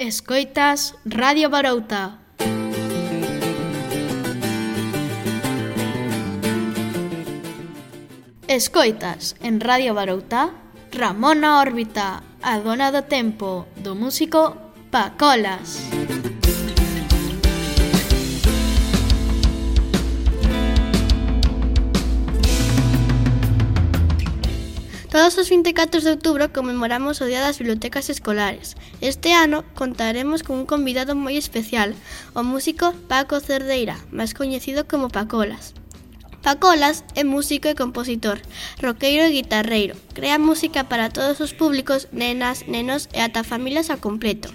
Escoitas Radio Barouta. Escoitas en Radio Barouta Ramona Órbita, a dona do tempo do músico Pacolas. Todos os 24 de outubro conmemoramos o Día das Bibliotecas Escolares. Este ano contaremos con un convidado moi especial, o músico Paco Cerdeira, máis coñecido como Pacolas. Pacolas é músico e compositor, roqueiro e guitarreiro. Crea música para todos os públicos, nenas, nenos e ata familias ao completo.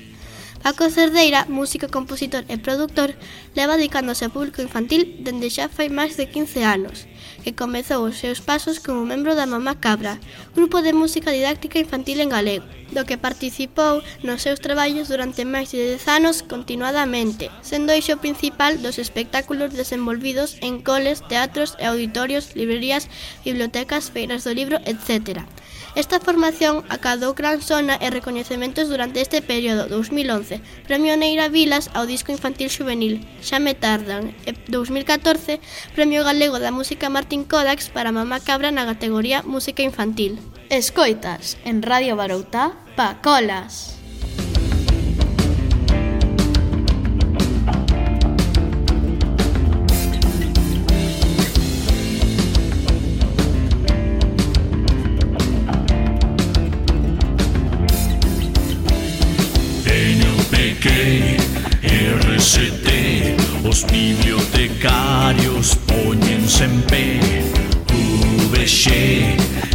Paco Cerdeira, músico, compositor e produtor, leva dedicándose ao público infantil dende xa fai máis de 15 anos, que comezou os seus pasos como membro da Mamá Cabra, grupo de música didáctica infantil en galego, do que participou nos seus traballos durante máis de 10 anos continuadamente, sendo eixo principal dos espectáculos desenvolvidos en coles, teatros e auditorios, librerías, bibliotecas, feiras do libro, etc. Esta formación acadou gran sona e recoñecementos durante este período 2011, Premio Neira Vilas ao disco infantil xuvenil Xa me tardan, e 2014, Premio Galego da Música Martín Kodax para Mamá Cabra na categoría Música Infantil. Escoitas en Radio Barouta Pacolas. RCT, os bibliotecarios póñense en pé. VX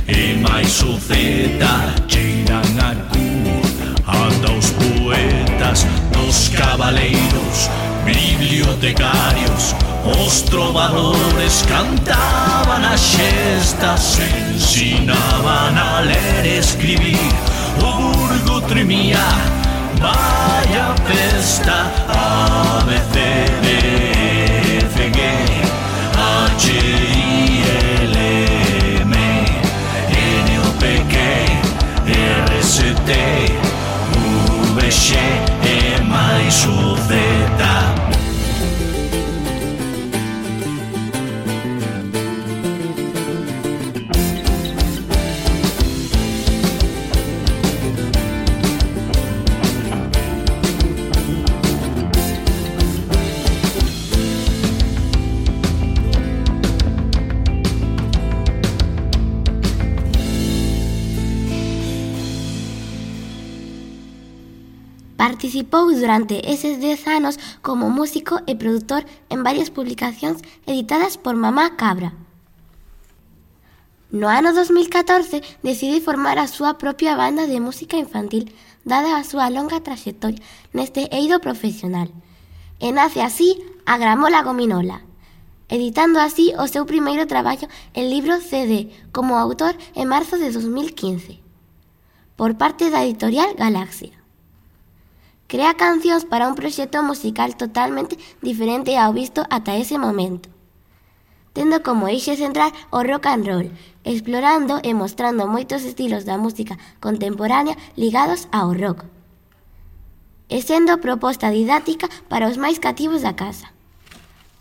e máis o Z cheiran a Q, ata os poetas dos cabaleiros, bibliotecarios, os trovadores cantaban as xestas, ensinaban a ler e escribir, o burgo tremía. Vaya festa, A, B, C, D, F, G, H, I, L, M, N, O, P, Q, R, S, T, V, X, E, máis o Z. Participou durante eses 10 anos como músico e produtor en varias publicacións editadas por Mamá Cabra. No ano 2014 decide formar a súa propia banda de música infantil, dada a súa longa traxectoria neste eido profesional. E nace así a Gramola Gominola, editando así o seu primeiro traballo en libro CD como autor en marzo de 2015, por parte da editorial Galaxia. Crea cancións para un proxecto musical totalmente diferente ao visto ata ese momento, tendo como eixe central o rock and roll, explorando e mostrando moitos estilos da música contemporánea ligados ao rock, e sendo proposta didáctica para os máis cativos da casa.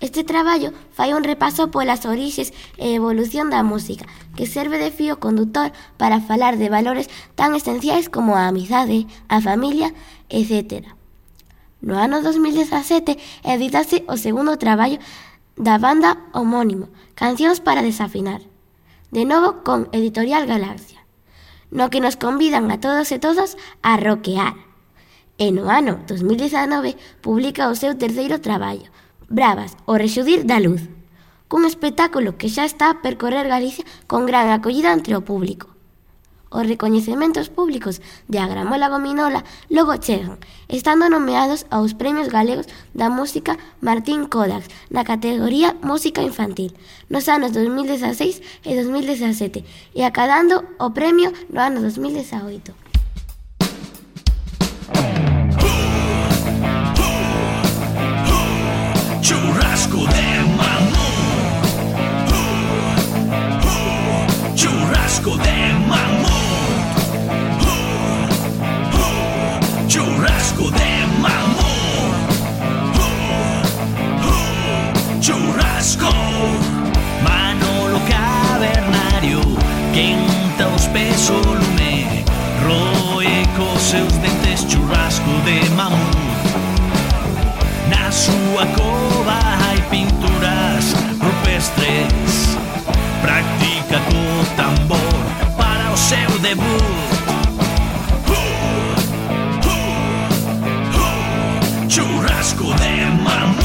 Este traballo fai un repaso polas orixes e evolución da música, que serve de fío condutor para falar de valores tan esenciais como a amizade, a familia, etc. No ano 2017 editase o segundo traballo da banda homónimo, Cancións para desafinar, de novo con Editorial Galaxia, no que nos convidan a todos e todas a rockear. E no ano 2019 publica o seu terceiro traballo, Bravas, o rexudir da luz, cun espectáculo que xa está a percorrer Galicia con gran acollida entre o público. Os recoñecementos públicos de A Gramola Gominola logo chegan, estando nomeados aos Premios Galegos da Música Martín Kodax na categoría Música Infantil nos anos 2016 e 2017 e acadando o premio no ano 2018. Churrasco de mamón, churrasco de mamón, churrasco de mamón. churrasco. Manolo Cavernario quenta os pés o lume, roe cos seus dentes churrasco de mamut. Na súa cova hai pinturas rupestres, practica co tambor para o seu debut. Churrasco de mamut,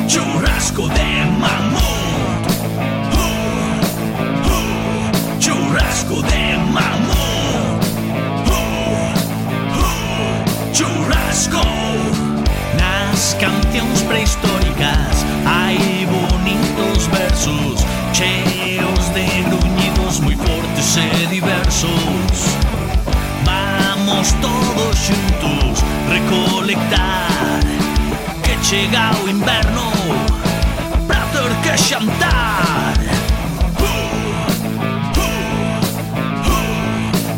churrasco de mamut, churrasco de mamut, churrasco. Nas cancións prehistóricas hai bonitos versos cheos de gruñidos moi fortes e diversos. Vamos todos xuntos recolectar, que chega o inverno pra ter que xantar.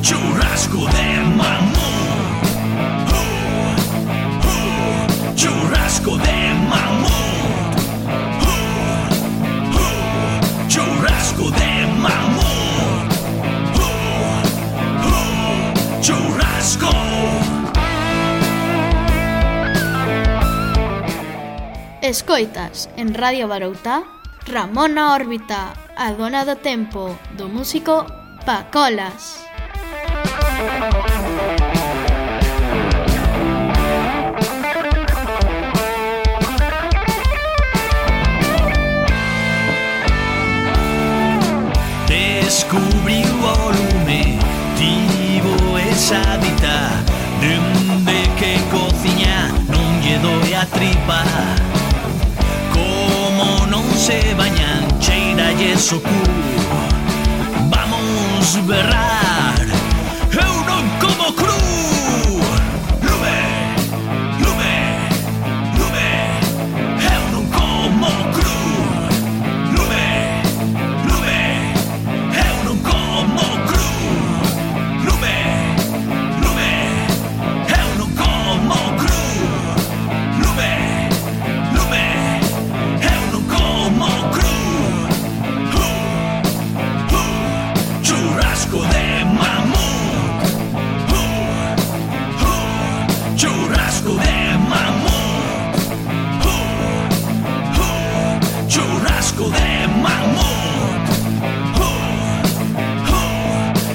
Churrasco de mamut, churrasco de mamut, churrasco de mamut, churrasco. Escoitas en Radio Baroutá Ramona Órbita, a dona do tempo do músico Pacolas. Descubriu o lume, tivo esa dita, dende que cociña non lle doe a tripa. Como non se bañan, cheiralles o cu. Vamos berrar, eu non como cru. Lume, lume, lume, eu non como cru. Lume, lume, eu non como cru. Lume, lume, eu non como cru. Lume, lume, eu non como cru. Churrasco de mamut, churrasco de mamut, churrasco de mamut,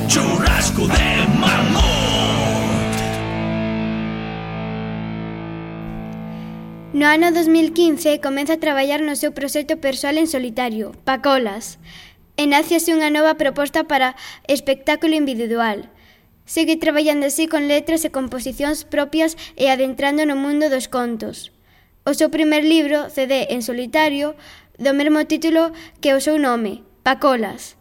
churrasco de mamut. No ano 2015 comeza a traballar no seu proxecto persoal en solitario, Pacolas, e nace así unha nova proposta para espectáculo individual. Segue traballando así con letras e composicións propias e adentrando no mundo dos contos. O seu primer libro, CD en solitario, do mesmo título que o seu nome, Pacolas,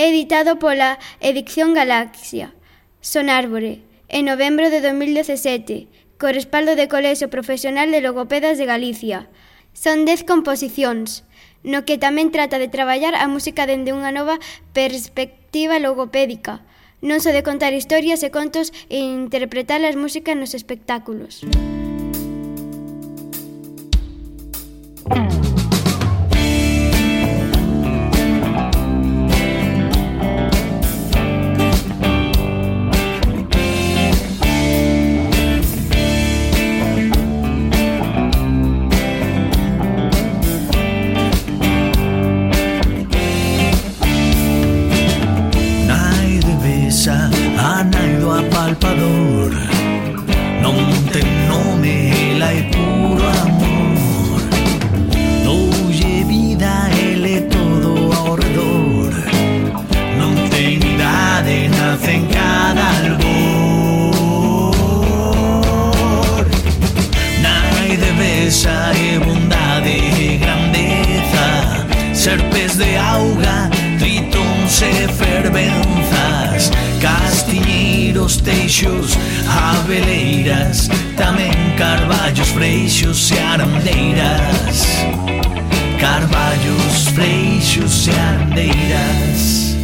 é editado pola Edición Galaxia, Sonárbore, en novembro de 2017, co respaldo de Colexio Profesional de Logopedas de Galicia. Son 10 composicións, no que tamén trata de traballar a música dende unha nova perspectiva logopédica, non só de contar historias e contos e interpretar as músicas nos espectáculos. A nai do apalpador non ten nome, ela é puro amor. Doulle vida, ele todo ao redor. Non ten idade, nace en cada albor. Nai de besa e bondade e grandeza, serpes de auga, tritons e fervenzas, castiñeiros, teixos, abeleiras, tamén carballos, freixos e arandeiras. Carballos, freixos e arandeiras.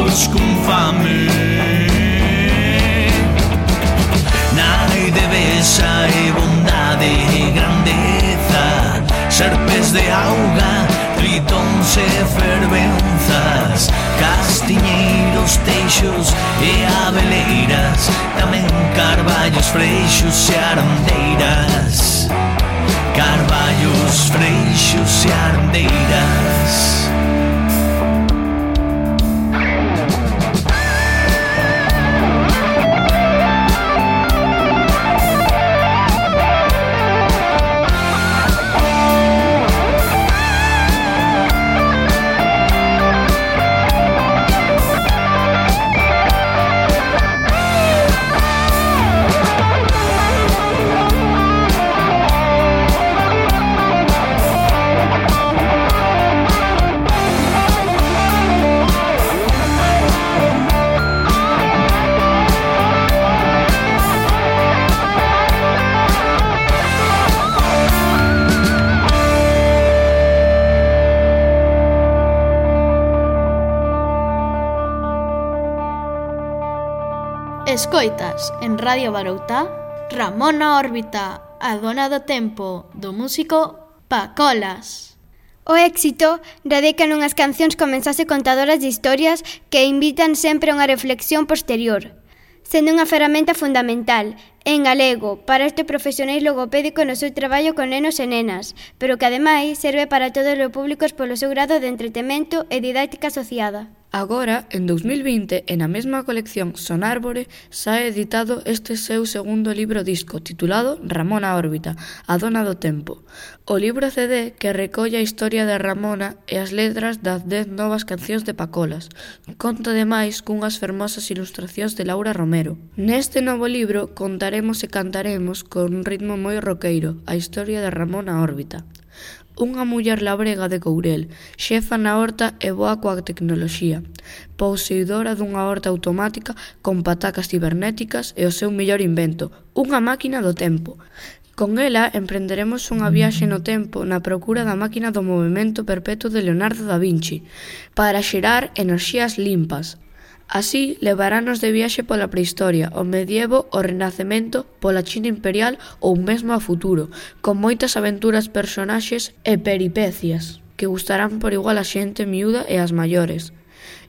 fillos con fame. Nai de besa e bondade e grandeza, serpes de auga, tritóns e fervenzas, castiñeiros, teixos e abeleiras, tamén carballos, freixos e arandeiras. Carballos, freixos e arandeiras. Escoitas en Radio Baroutá Ramona Órbita, a dona do tempo do músico Pacolas. O éxito radica nunhas cancións con mensaxe contadoras de historias que invitan sempre a unha reflexión posterior, sendo unha ferramenta fundamental, en galego, para este profesional logopédico no seu traballo con nenos e nenas, pero que ademais serve para todos os públicos polo seu grado de entretemento e didáctica asociada. Agora, en 2020, na mesma colección Sonárbore, sae editado este seu segundo libro disco, titulado Ramona Órbita, a dona do tempo. O libro CD que recolle a historia de Ramona e as letras das 10 novas cancións de Pacolas. Conta ademais cunhas fermosas ilustracións de Laura Romero. Neste novo libro contaremos e cantaremos con un ritmo moi roqueiro a historia de Ramona Órbita. Unha muller labrega de Courel, xefa na horta e boa coa tecnoloxía, poseidora dunha horta automática con patacas cibernéticas e o seu mellor invento, unha máquina do tempo. Con ela emprenderemos unha viaxe no tempo na procura da máquina do movimento perpetuo de Leonardo da Vinci, para xerar enerxías limpas. Así, levarános de viaxe pola prehistoria, o medievo, o renacemento, pola China imperial ou mesmo ao futuro, con moitas aventuras, personaxes e peripecias que gustarán por igual a xente miúda e as maiores.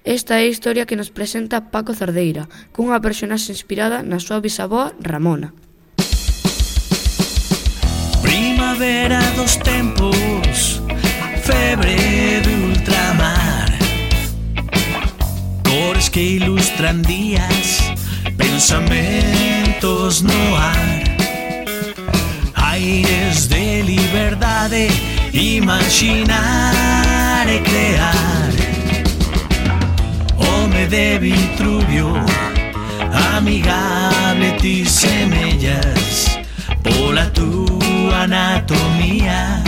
Esta é a historia que nos presenta Paco Cerdeira, cunha personaxe inspirada na súa bisaboa Ramona. Primavera dos tempos, febre de ultramar, cores que ilustran días, pensamentos no ar, aires de liberdade, imaginar e crear. Home de Vitruvio, amigable ti semellas, pola túa anatomía,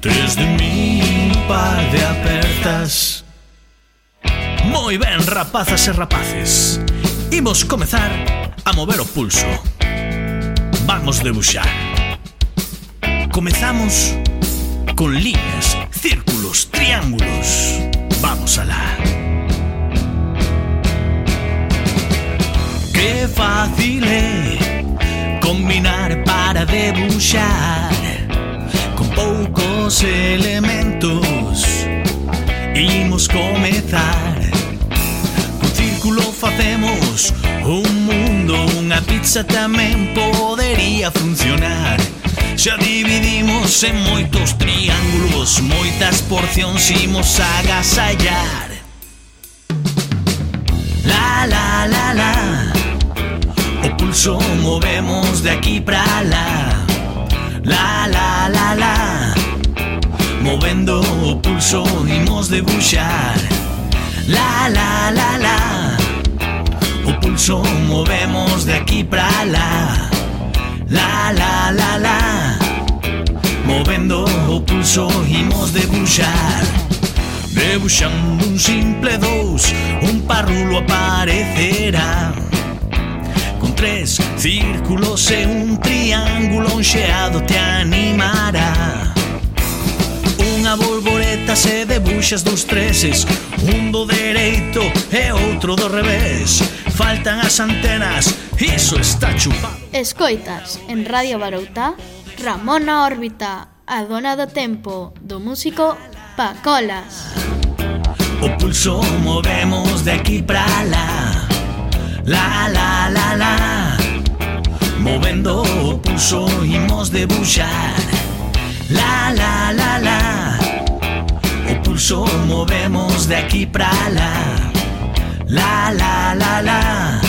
tes de mí par de apertas. Moi ben, rapazas e rapaces, imos comezar a mover o pulso. Vamos debuxar. Comezamos con líneas, círculos, triángulos. Vamos alá. Que fácil é combinar para debuxar, con poucos elementos imos comezar. Con círculo facemos un mundo, unha pizza tamén podería funcionar. Xa dividimos en moitos triángulos, moitas porcións imos agasallar. La la la la, o pulso movemos de aquí pra lá. La la la la, movendo o pulso imos debuxar. La la la la, o pulso movemos de aquí pra lá. La la la la, movendo o pulso imos debuxar. Debuxando un simple 2, un parrulo aparecerá, con 3 círculos e un triángulo enxeado te animará. Un Unha borboleta se debuxas dos treses, un do dereito e outro do revés. Faltan as antenas, iso está chupado. Escoitas en Radio Baroutá Ramona Órbita, a dona do tempo do músico Pacolas. O pulso movemos de aquí pra lá, la la la la. Movendo o pulso imos debuxar, la la la la. O pulso movemos de aquí pra lá, la la la la.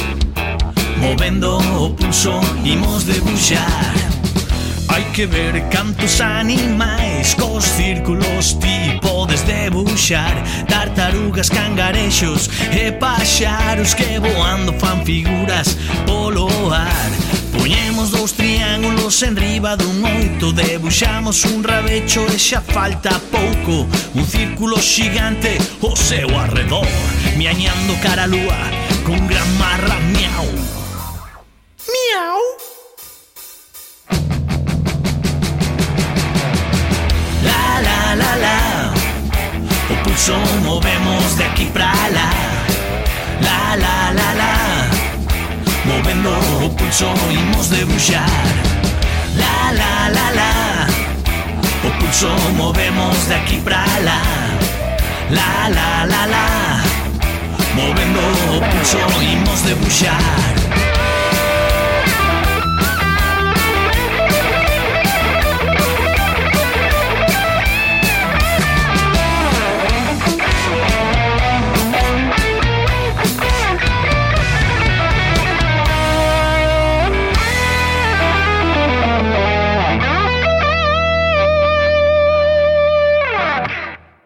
Movendo o pulso imos debuxar. Hai que ver cantos animais cos círculos ti podes debuxar. Tartarugas, cangarexos e paxaros que voando fan figuras polo ar. Poñemos dous triángulos en riba dun oito, debuxamos un rabecho e xa falta pouco. Un círculo xigante ao seu arredor, miañando cara a lúa con gran marra miau. Miau. La la la la. O pulso movemos de aquí pra lá, la la la la. Movendo o pulso imos debuxar, la la la la. O pulso movemos de aquí pra lá, la la la la. Movendo o pulso imos debuxar.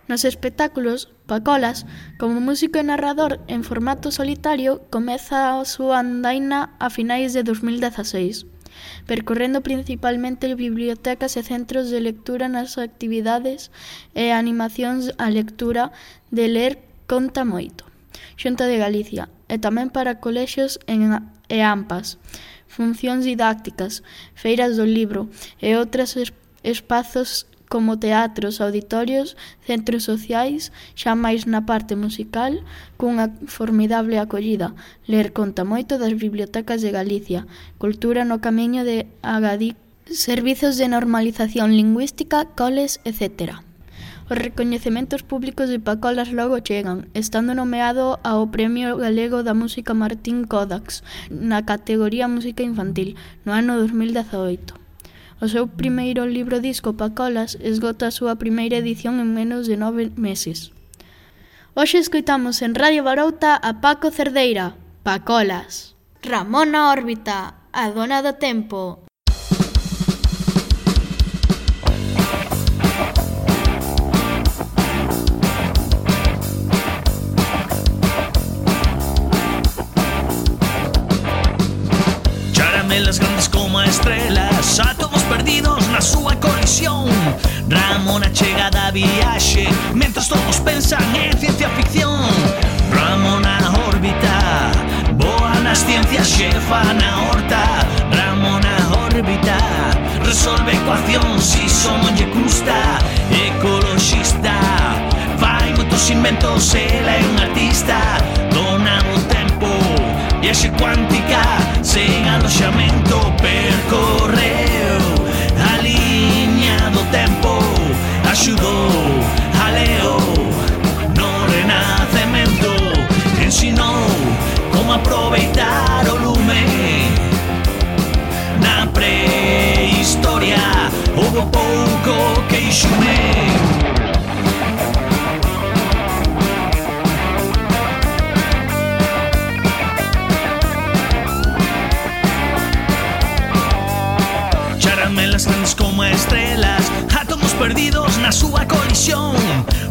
Nos espectáculos, Pacolas, como músico e narrador en formato solitario, comeza a súa andaina a finais de 2016, percorrendo principalmente bibliotecas e centros de lectura nas actividades e animacións á lectura de Ler Conta Moito, Xunta de Galicia, e tamén para colexios e AMPAs, funcións didácticas, feiras do libro e outros espazos como teatros, auditorios, centros sociais, xa máis na parte musical, cunha formidable acollida. Ler Conta Moito das bibliotecas de Galicia, cultura no camiño de Agadic, servizos de normalización lingüística, coles, etc. Os recoñecementos públicos de Pacolas logo chegan, estando nomeado ao Premio Galego da Música Martín Kodax na categoría Música Infantil no ano 2018. O seu primeiro libro disco, Pacolas, esgota a súa primeira edición en menos de 9 meses. Hoxe escoitamos en Radio Barouta a Paco Cerdeira, Pacolas. Ramona Órbita, a dona do tempo. Charamelas grandes como estrelas, átomos perdidos na súa colisión. Ramona chega da viaxe, mentras todos pensan en ciencia ficción. Ramona Órbita, boa nas ciencias, xefa na horta. Ramona Órbita, resolve ecuacións, iso non lle custa. Ecoloxista, fai moitos inventos, ela é un artista. Dona do tempo, viaxe cuántica, sen aloxamento, percorreu a liña do tempo, axudou a Leo no renacemento, ensinou como aproveitar o lume. Na prehistoria houve pouco queixume. Charamelas grandes como estrelas, átomos perdidos na súa colisión.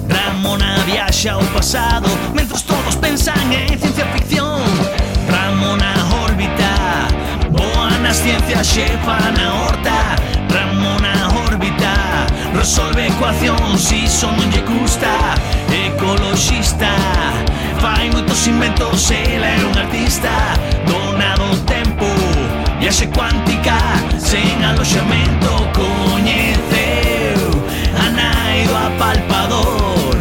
Ramona viaxa ao pasado, mentras todos pensan en ciencia ficción. Ramona Órbita, boa nas ciencias, xefa na horta. Ramona Órbita, resolve ecuacións, iso non lle custa. Ecoloxista, fai moitos inventos, ela é un artista. Dona do tempo, viaxe cuántica, sen aloxamento, coñeceu a nai traído a palpador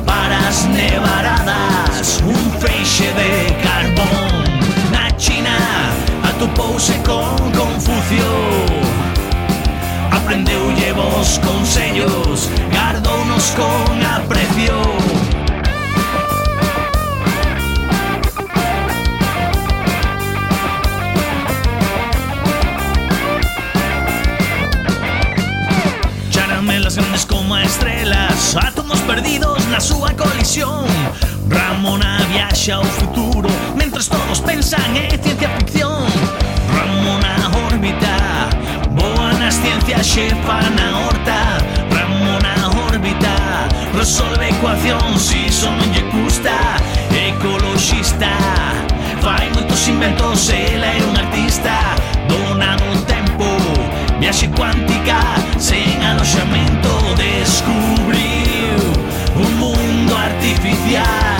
para as nevaradas un feixe de carbón. Na China atopouse con Confucio, aprendeulle vos consellos, gardounos con aprecio. Charamelas grandes como estrelas, átomos perdidos na súa colisión. Ramona viaxa ao futuro, mentres todos pensan en ciencia ficción. Ramona órbita, boa nas ciencias, xefa na horta. Ramona órbita, resolve ecuacións, si iso non lle custa. Ecoloxista, fai moitos inventos, ela é un artista. Dona do tempo, viaxe cuántica, sen aloxamento, descubriu un mundo artificial.